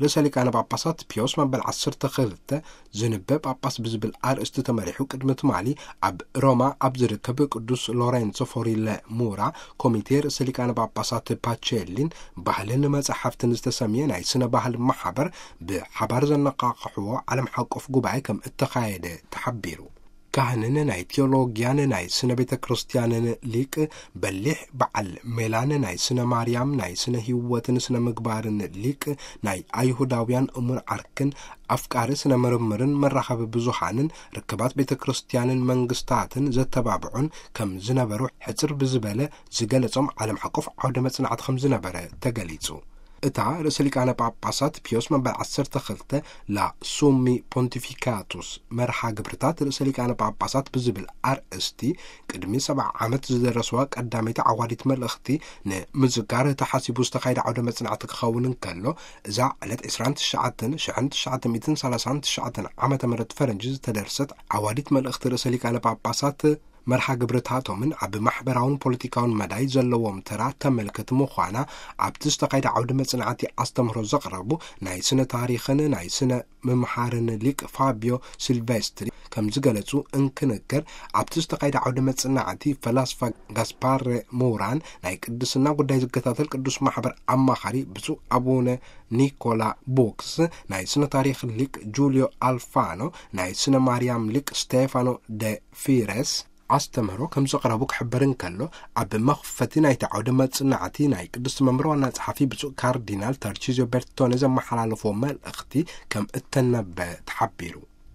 ርእሰ ሊቃነ ጳጳሳት ፒዮስ መበል ዓሰርተ ክልተ ዝንበ ጳጳስ ብዝብል ኣርእስቲ ተመሪሑ ቅድሚ ትማሊ ኣብ ሮማ ኣብ ዝርከብ ቅዱስ ሎሬንሶ ፎሪለ ሙራ ኮሚቴ ርእሰ ሊቃነ ጳጳሳት ፓቼሊን ባህልን መጻሕፍትን ዝተሰምየ ናይ ስነ ባህል ማሕበር ብሓባር ዘነቃቕሕዎ ዓለም ሓቆፍ ጉባኤ ከም እተኻየደ ተሓቢሩ። ካህንን ናይ ቴዎሎጊያን ናይ ስነ ቤተ ክርስቲያንን ሊቅ፣ በሊሕ በዓል ሜላን ናይ ስነ ማርያም፣ ናይ ስነ ህይወትን ስነ ምግባርን ሊቅ፣ ናይ ኣይሁዳውያን እሙን ዓርክን ኣፍቃሪ ስነ ምርምርን መራኸቢ ብዙሃንን ርክባት ቤተ ክርስቲያንን መንግስታትን ዘተባብዑን ከም ዝነበሩ ሕጽር ብዝበለ ዝገለጾም ዓለም ሓቆፍ ዓውደ መጽናዕቲ ከም ዝነበረ ተገሊጹ። እታ ርእሰ ሊቃነ ጳጳሳት ፒዮስ መበል ዓሰርተ ክልተ ላ ሱሚ ፖንቲፊካቱስ መርሃ ግብርታት ርእሰ ሊቃነ ጳጳሳት ብዝብል ኣርእስቲ ቅድሚ ሰብዓ ዓመት ዝደረስዋ ቀዳመይቲ ዓዋዲት መልእኽቲ ንምዝካር ተሓሲቡ ዝተኻየደ ዓውደ መጽናዕቲ ክኸውን እንከሎ፣ እዛ ዕለት ዕስራን ትሽዓተን ሽሕን ትሽዓተ ሚእትን ሰላሳን ትሽዓተን ዓመተ ምህረት ፈረንጂ ዝተደርሰት ዓዋዲት መልእኽቲ ርእሰ ሊቃነ ጳጳሳት መርሃ ግብርታቶምን ኣብ ማሕበራውን ፖለቲካውን መዳይ ዘለዎም ተራ ተመልክት ምዃና ኣብቲ ዝተኻየደ ዓውደ መጽናዕቲ ኣስተምህሮ ዘቕረቡ ናይ ስነ ታሪኽን ናይ ስነ ምምሃርን ሊቅ ፋቢዮ ሲልቬስትሪ ከም ዝገለጹ እንክንገር፣ ኣብቲ ዝተኻየደ ዓውደ መጽናዕቲ ፈላስፋ ጋስፓረ ሙራን ናይ ቅድስና ጉዳይ ዝከታተል ቅዱስ ማሕበር ኣማኻሪ ብፁዕ ኣቡነ ኒኮላ ቦክስ፣ ናይ ስነ ታሪኽ ሊቅ ጁልዮ ኣልፋኖ፣ ናይ ስነ ማርያም ሊቅ ስቴፋኖ ደ ፊረስ ኣስተምህሮ ከም ዘቕረቡ ክሕበር እንከሎ፣ ኣብ መኽፈቲ ናይቲ ዓውደ መጽናዕቲ ናይ ቅድስቲ መንበር ዋና ጸሓፊ ብፁዕ ካርዲናል ታርቺዝዮ ቤርቶኔ ዘመሓላለፍዎ መልእኽቲ ከም እተነበ ተሓቢሩ።